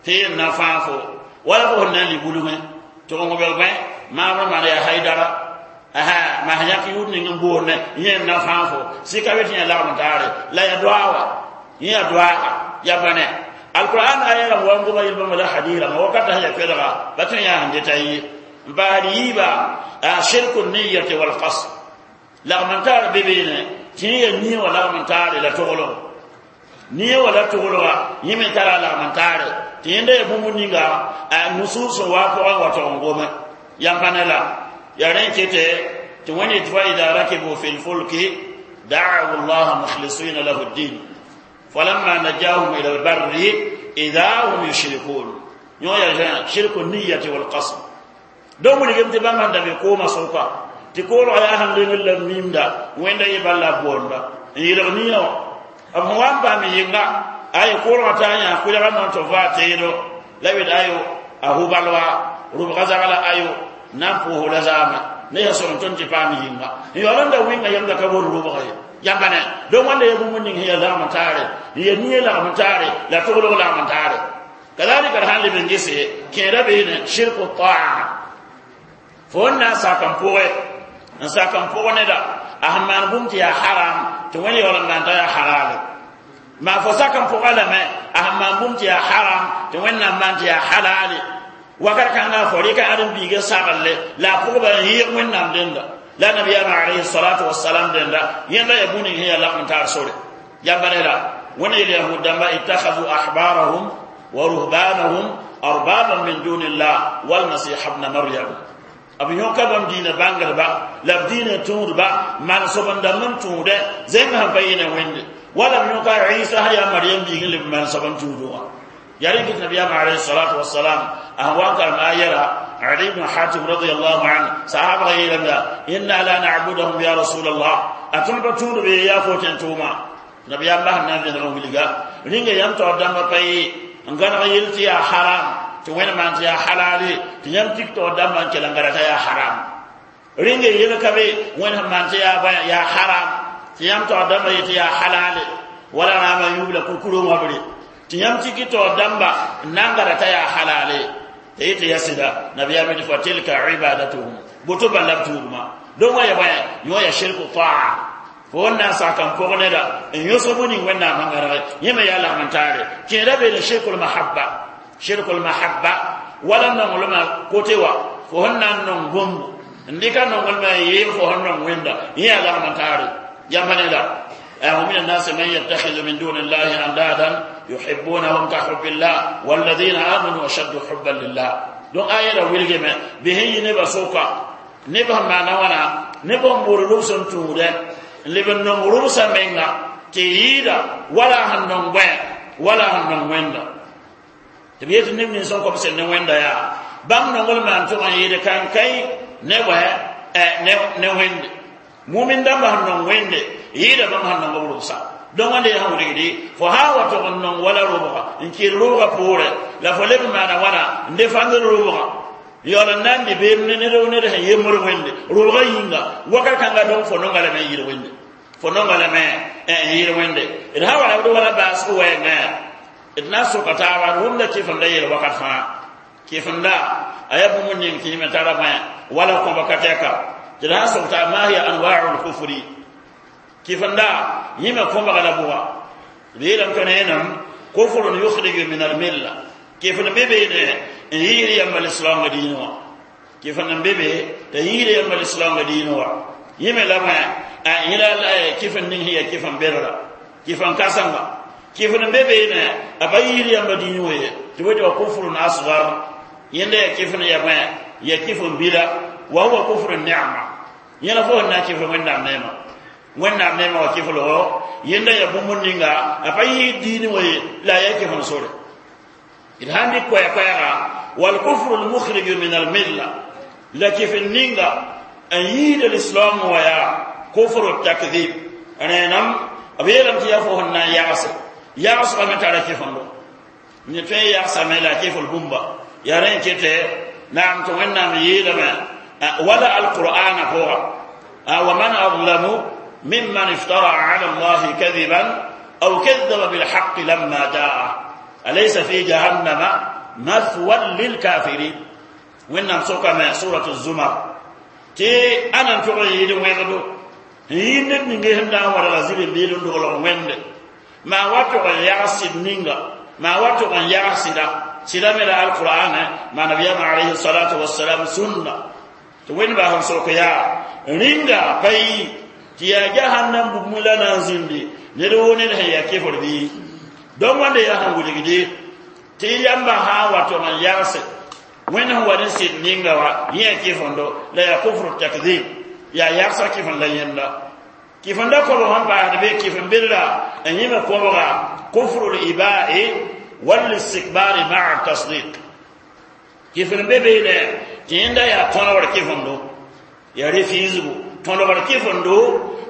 tɩ yel na fãa fo wala fo sẽn na n li bulungẽ tɩ bõng bɛl bõe maamr maan yaa haidara aha maa sẽn yãk yʋʋd ning n boonde yẽ n na fãa fo sɩka be tɩ yã lagm taare la ya doa wa yẽ ya doaaga ya bãne alquran aya rãmb wa n goma yel bãmba la hadis rãmba wakata sẽn ya koɛlga ba tõe n yaa sẽn deta ye N paasd yiiba, a shirku niyati walqasd, lagm n tar be beene tɩ ya nia wã lagm n taare la toglg nia wã la toglga yẽ me tara lagm n taare tɩ yẽnda ya bũmb ninga a nusus sẽn waa pʋgẽ wa tog n gome yãmb pa ne la ya rẽ kete tɩ wẽnd yetɩ fa ida rakibu fi lfulki da'u llaha mukhlisina lahu ddin falamma najahum ila albarri ida hum yushrikun. Yõ ya shirku niyati walqasd. Donc wilgem tɩ bãmb sẽn da be koomã sʋka tɩ koolga yaa sẽn lengr la mimda wẽnda yɩ bal la boonda n yelg nia wã b sẽn wa n paam yɩnga ay koolgã t'a yã kʋlga non tɩ va teedo la wed ayo a hu-balwa rʋbga zagla ayo na n pʋʋs la zaamã ne ya sõm tõnd tɩ paam yɩnga n yaool n da wɩnga yãmda ka bor rʋbga ye yãmba ne donc wãnda ya bũmb ning sẽn ya lagm n taare n ya nia lagm n taare la toglg lagm n taare. Kadalika d sãn leb n gese kẽeda beene shirku taa fo n na n sak n pʋgẽ n sak n pʋg neda a sẽn maan bũmb tɩ yaa haram tɩ wẽnd yaool n maan t'a yaa halale maa fo sak n pʋga lame a sẽn maan bũmb tɩ yaa haram tɩ wẽnnaam maan tɩ yaa halale wakat kãngã fo rɩka ãdem-biigã saglle la a pʋgba n yɩɩg wẽnnaam dẽnda la nabiyaamã alayhi salatu wasalam dẽnda yẽnda ya bũmb ning sẽn yaa lagm n taar sore yãmba ne la wẽnd yel yahud dãmba ittakhadhu ahbarahum wa ruhbanahum arbaban min dunillah walmasih bna maryam b yõka bãmb diinã bãngdba la b diinã tũudba maan-soab n dãmb n tũudẽ zẽng sẽn pa yɩ ne wẽnde wala b yõka Isa sã yaa Maryam biig n leb maan-soab n tũudẽ wã yaa rẽ kɩt nabiyaamã alayhi salatu wasalam a sẽn wa n karem ayɛra Ali ibn Hatim radiyallahu anhu sahabga yeelame inna la na'budahum ya rasulallah a tõnd pa tũud be yaa fo tẽn tʋʋma nabiyaam sẽn na n vẽneg n wilga rĩnga yãmb taoor dãmbã pa yɩ n gãneg yel tɩ yaa haram tɩ wẽnd maan tɩ yaa halale tɩ yãmb tik taoor dãmbã n kell n gada t'a yaa haram rĩnga yel ka be wẽnd sẽn maan tɩ yaa yaa haram tɩ yãmb taoor dãmbã yetɩ yaa halale wala rãambã yubla kurkurõ wãbre tɩ yãmb tiki taoor dãmba n na n gada t'a yaa halale tɩ yetɩ ya sɩda nabiyaam yetɩ fa tilka ibadatuhum boto bãn la b tuudmã donc wã ya bõe yõ ya shirku taa fo n na n sak n pʋg neda n yõsg bũ ning wẽnnaam sẽn gãnege yẽ me yaa lagm n taare kẽeda beene shirkul mahabba shirkul mahabba wala nonglmã kote wa fo sẽn na n nong bũmb n dɩka nonglmã n yɩɩg fo sẽn nong wẽnda yẽ yaa lagm n taare yãmb ne la ومن الناس من يتخذ من دون الله أندادا يحبونهم كحب الله والذين آمنوا أشد حبا لله. دون آية ويلجم به نبى سوكا نبى ما نوانا نبى مورلوسن تورة نبى نمورلوسن منغا تيدا ولا هنون وين ولا هنون وين تبيت نبني نسون كم سن وين دا يا بام نقول ما أنتم أيدا كان كاي نبى ne wẽnde mumin dãmba sẽn nong wẽnde yɩɩda bãmb sẽn nong b rʋbsa donc wãnde yaa sẽn wilgdi fo sã wa tog n nong wala rʋbga n kɩɩd rʋbga poorẽ la fo leb n maana wãna n defãndr rʋbga yaool n na n dɩ beem ne ned ned sẽn yembr wẽnde rʋbga yĩnga wakat kãnga donc fo nonga lame n yɩɩd wẽnde fo nonga lame n yɩɩd wẽnde d sã wa rabd wala baasg wɛɛngã d na n soka taaba d wʋmda kɩfemda yeel wakat fãa kɩfemda a yaa bũmb ning tɩ yẽ me tara bõe wala kõba ka tɛka tɩ d sã n sok taa ma hiya anwau lkufri kɩfemda yẽ me kõbga la bʋga b yeelame tɩ rẽenam kufrun yukhriju min almilla kɩfem be beene n yiisd yãmba lislaoongã diinẽ wã kɩfem n be be t'a yiisd yãmba lislaoongã diinẽ wã yẽ me la bõe yẽ la kɩfem ning sẽn yaa kɩfem bedra kɩfem kãsenga kɩfem n be beene a pa yiisd yãmba diinẽ wã ye tɩ b wa kufrun asgar yẽnda yaa kɩfem ya bõe ya kɩfem bila wa huwa kufru ni'ma yẽla fo sẽn na n kɩfr wẽnnaam neema wẽnnaam neema wa kɩflgo yẽnda ya bũmb ninga a pa yɩɩd diinẽ wã ye la a yaa kɩfem sore d sãn dɩk koɛɛ-koɛɛga walkufru lmukhriju min almilla la kɩfem ninga n yiida lislaam wã yaa kufru takdib rẽenam b yeelame tɩ yaa fo sẽn na n yagse yagsgame tara kɩfemdo ne tõe n yagsame la a kɩfl bũmba yaa rẽ n kete naam tɩ wẽnnaam yeelame wala alqur'ana pʋga ومن أظلم ممن افترى على الله كذبا أو كذب بالحق لما جاءه أليس في جهنم مثوى للكافرين وإنهم سوكا سورة الزمر تي أنا نتوغي يدي ويغدو يند نينغي هندا ورا زيبي بيلون دوغلو وند ما واتو يعصد نينغا ما واتو يعصد Sɩda me la alqur'an ma nabiyam alayhi salatu wassalam sunna tɩ wẽnd bas n sok yaa rĩnga pa yi tɩ yaa jahannam bugmẽ la na n zĩndi ned woo ned sẽn yaa kefr bɩ donc wãnde yaa sẽn wilgde tɩ yãmba sã n wa tog n yagse wẽnd sẽn wa ne sɩd ninga wa yẽ yaa kɩfendo la yaa kufru takdib yaa yagsa kɩfen la yẽnda kɩfenda kobg sẽn paasd be kɩfen bedra n yẽme kobga kufru libai walistikbari maa tasdik kɩfen be beene tɩ yẽnda yaa tõdgr kɩfendo yaa refiisgu tõdgr kɩfendo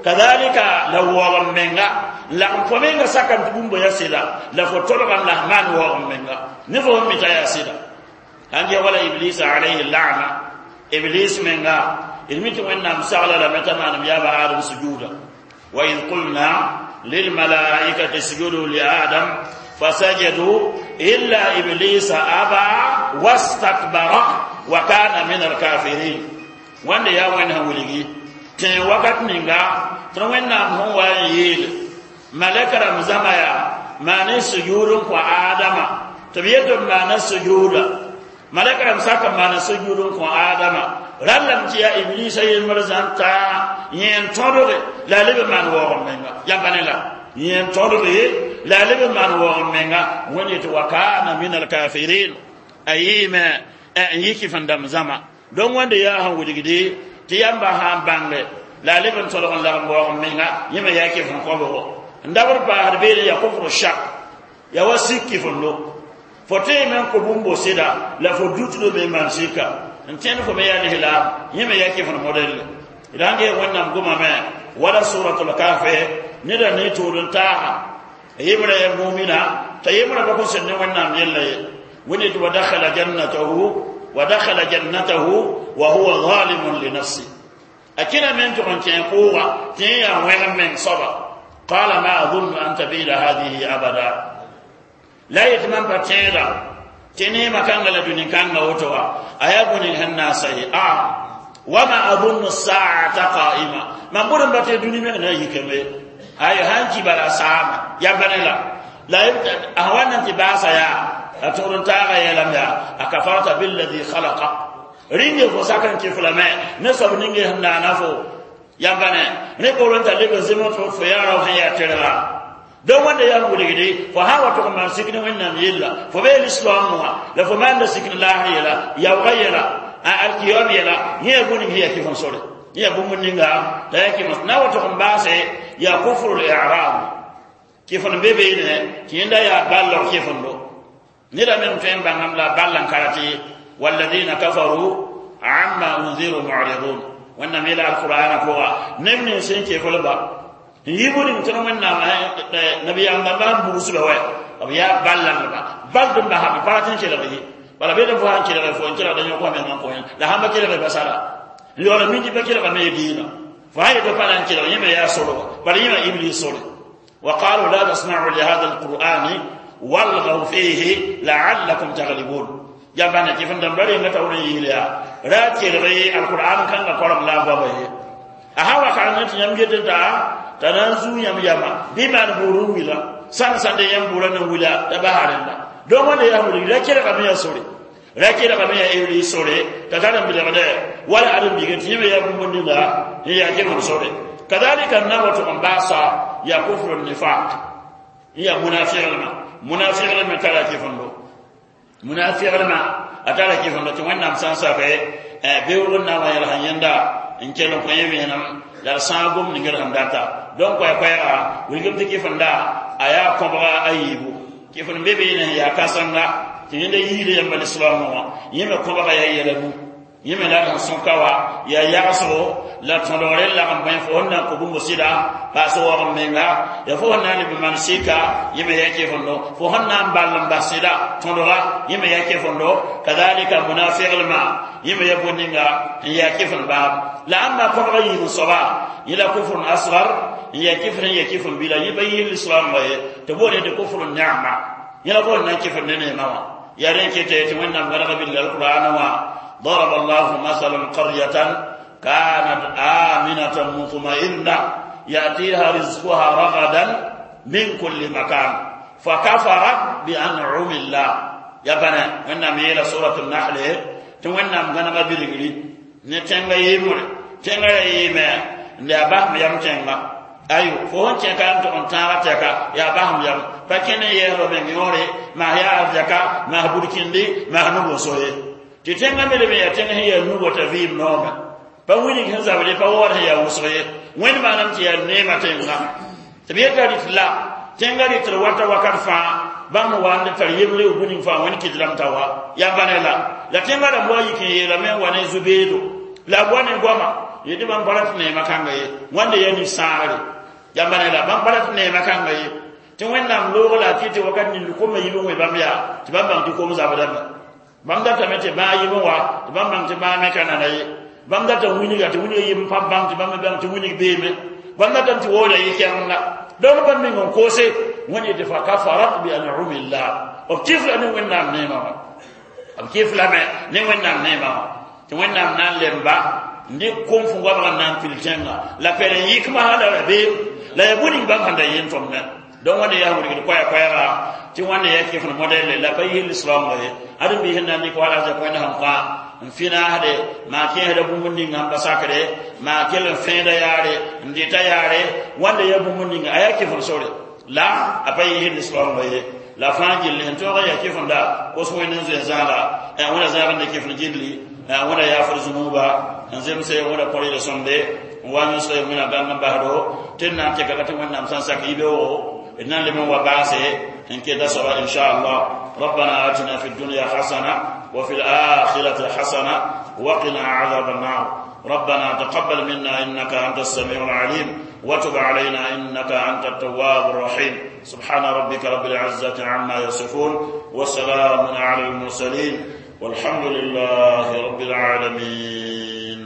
kadalika la waoog n menga lagm fo menga sakame tɩ bũmb yaa sɩda la fo tolgame la f maan waoog n menga ne fo sẽn mi t'a yaa sɩda sãn ges wala iblisa alayhi lana iblis menga d mi tɩ wẽnnaam sagla lame t'a maanem yaaba adam sujuda wa id qulna lilmalaikati isjudu li adam fasajadu illa iblisa aba wastakbara wa kana min alkafirin wãnde yaa wẽnd sẽn wilgi tẽ wakat ninga tɩ wẽnnaam sẽn wa n yeel malɛka rãmb zãma yaa maan sujud n kõ adama tɩ b yet b maana sujuda malɛka rãmb sak n maana sujud n kõ adama rallame tɩ yaa iblisa yembr zãn taa yẽ n tõdge la a leb n maan waoog n menga yãmba ne la yẽ n tõdge la a leb n maan waoog n menga wẽnd yetɩ wa kana min alkafirin a yɩɩme n yɩ kɩf n dãmb zãma donc wãnde yaa sẽn wilgde tɩ yãmba sã n bãnge la a leb n tõdg n lagm waoog n menga yẽ me yaa kɩf n kõbgo n dabr paasd beene yaa kufru shak yaa wa sik kɩfendo fo tõe me n kõ bũmbo sɩda la fo dutdo me n maan sika n tẽnd fo me yaa lislaam yẽ me yaa kɩf n modelle d sãn ges wẽnnaam gomame wala suratul kahfe neda ne tʋʋd n taaga yembrã yaa mumina t'a yembrã pa kõn sẽd ne wẽnnaam yella ye wẽnd yetɩ wa dakhala jannatahu wa dakhala jannatahu wa huwa zalimun li nafsi a kẽna me n tʋg n kẽ kʋʋga tɩ yẽ yaa wẽg meng soaba qala ma adunnu an tabida hadihi abada la yetɩ mam pa tẽeda tɩ neemã kãnga la dũni kãnga woto wa a yaa bũni sẽn na n sa ye a wama adunnu saata qaima mam bʋd n ba tɩ dũni meng na yikame ay sãn ki bala saama yamba ne la la a wa nan tɩ baasa yaa a tʋgd n taaga yeelame yaa a kafarta billadi khalaqa rĩnge fo sak n kɩf lame ne soab ninge sẽn naana fo yamba ne ne boolẽ t'a leb n zem tɩ fo yaa rao sẽn yaa terga donc wẽnda yaa n wilgde fo sã n wa tʋg n maan sik ne wẽnnaam yella fo bee lislaam wã la fo maanda sik ne laasr yɛla yaoogã yɛla alkiyom yɛla yẽ yaa bũmb ning sẽn yaa kɩf n sore yẽ yaa bũmb ninga t'a yaa kɩf na wa tʋg n baase yaa kufrul i'rab kɩf n be beene tɩ yẽnda yaa ballg kɩfendo neda meng tõe n bãngame la ball n karat ye walladina kafaru amma unziru mu'ridun wẽnnaam yeela alqur'ana pʋga neb nins sẽn keflba n yɩ bũmb tɩ wẽnnaam nabiyaam dãmbã n bugsba wɛ b yaa ballãndba bald n basame pa rat n kelg ye bala bed n fo sãn kelge fo n kelgda yõk wã meng n kõ la sãn pa kelge basara n yaool n min tɩ pa kelgame ye diinã fo sã yetɩ pa na n kelg yẽ me yaa sorga bala yẽma iblis sore وقالوا لا تسمعوا لهذا القرآن والغوا فيه لعلكم تغلبون yãmba na kɩf n dãmba renga taoor n yɩɩl yaa ra kelg alqur'an kãngã korem la a goama ye a sã wa kareng tɩ yãmb get n taa t'a na n zuu yãmb yama bɩ maan buur n wila sãn sãnde yãmb buurã na n wila t'a basa rẽnda donc wãnda yaa wilg ra kelgame yaa sore ra kelgame yaa iblis sore t'a tar n bilgdɛ wala ad n bigẽ tɩ yẽme yaa bũmb ninga n yaa kɩf n sore kadalika n na wa tʋg n baasa yaa kufru nifaq n yaa munafiglmã munafiglmã tara kɩfendo munafiglmã a tara kɩfendo tɩ wẽnnaam sã n sake beoog n na n wa yɛls n yẽnda n kell n kõ yẽ vẽenem la d sãag gom ning d sẽn data donc koɛ-koɛɛga wilgm tɩ kɩfenda a yaa kõbga a yiibu kɩf n be beene sẽn yaa kãsenga tɩ yẽnda yiida yãmba lislaamã wã yẽ me kõbga yaa yɛla nu yẽ me la sẽn sõka wa yaa yagsgo la tõdgre n lagm bõe fo sẽn na n kõ bũmb sɩda paas waoog n menga ya fo sẽn na n leb n maan sɩka yẽ me yaa kɩfendo fo sẽn na n ball n bas sɩda tõdga yẽ me yaa kɩfendo kadalika munafiglmã yẽ me yaa bõe-ninga n yaa kɩf n baab la ãmba kõbga yiib n soaba yẽ la kufrun asgar n yaa kɩf n yaa kɩf n bila yẽ pa yɩɩl lislaam wa ye tɩ boole tɩ kufru ni'ma yẽ la fo n na n kɩf ne neemã wã yaa rẽ kɩta tɩ wẽnnaam gãnega bil alqur'an wã ضرب الله مثلا قرية كانت آمنة مطمئنة يأتيها رزقها رغدا من كل مكان فكفرت بأنعم الله Ya bãna Wẽnnaam yeela suratul nahl tɩ Wẽnnaam gãnega bilgri ne tẽngã yɩɩmre tẽngã ra yɩɩme n yaa basem yam tẽnga ayo fo sẽn kẽ ka n tog n tãaga tɛka yaa basem yam pa kẽ ne yɛɛsba meng yõore maas yaa arzɛka maas burkindi maas nub-n-so ye tɩ tẽngã me leb n yaa tẽng sẽn yaa nuga t'a vɩɩm noome pa wilg sẽn zabd pa waood sẽn yaa wʋsg ye Wẽnd maanam tɩ yaa neemã tẽnga tɩ b yeta rɩt la tẽngã rɩtr wata wakat fãa bãmb wa n tar yembre b ning fãa Wẽnd kɩdrame t'a wa yaa bãne la la tẽngã rãmb wa yik n yeelame n wa ne zu-beedo la b wa ne goama yetɩ bãmb pa rat neemã kãnga ye wãnda yaa nin-sãagre yaa bãne la bãmb pa rat neemã kãnga ye tɩ Wẽnnaam loog la a kɩ tɩ wakat ning komã yib n wẽ bãmb yaa tɩ bãmb bãng tɩ kom zabdame bãmb datame tɩ bãag yib n wa tɩ bãmb bãng tɩ bãag me ka nana ye bãmb data wilga tɩ wilga yib n pa bãng tɩ bãmb me bãng tɩ wilg beeme bãmb datame tɩ waooda yɩ kɛrenga donc bãmb meng n koose Wẽnd yetɩ fa kafarat bi an'umillah b kɩfla ne Wẽnnaam neemã wã b kɩflame ne Wẽnnaam neemã wã tɩ Wẽnnaam na n lemba n dɩk kom fõ goabg n na n pil tẽnga la pɛl n yɩk masã la rabeem la yaa bũ ning bãmb sẽn da yeen tõmdã donc wãnda yaa wilgd koɛɛ-koɛɛga tɩ wãnda yaa kɩf modɛle la pa yɩ lislaoongã ye ãdem biis n na n dɩk wala azɛk Wẽnd sẽn kõ n finaasde maa kẽesda bũmb ninga n pa sakre maa kell n fẽeda yaare n dɩta yaare wãnda yaa bũmb ninga a yaa kɩf sore la a pa yɩ lislaoongã ye la fãa gilli sẽn tõog n yaa kɩfenda kos Wẽnd n zoe zãala Wẽnda zãag n de kɩfend gilli Wẽnda yaafd zũnuuba n zemse Wẽnda kõ rɩɩd sõmde n wa yõsg Wẽnna gãng n basdo tɩ d na n tɩka tɩ Wẽnnaam sã n sak yibeoogo d na n leb n wa baase n keta soaba inchallah. ربنا آتنا في الدنيا حسنة وفي الآخرة حسنة وقنا عذاب النار. ربنا تقبل منا إنك أنت السميع العليم وتب علينا إنك أنت التواب الرحيم. سبحان ربك رب العزة عما يصفون وسلام على المرسلين والحمد لله رب العالمين.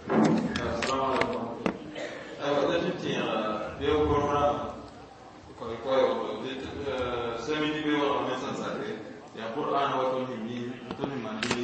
Assalamu alaikum. Aywa, da tɩ beo corona koy koy semini be wa me san sake ya Qur'an wa to ni mi to ni man ni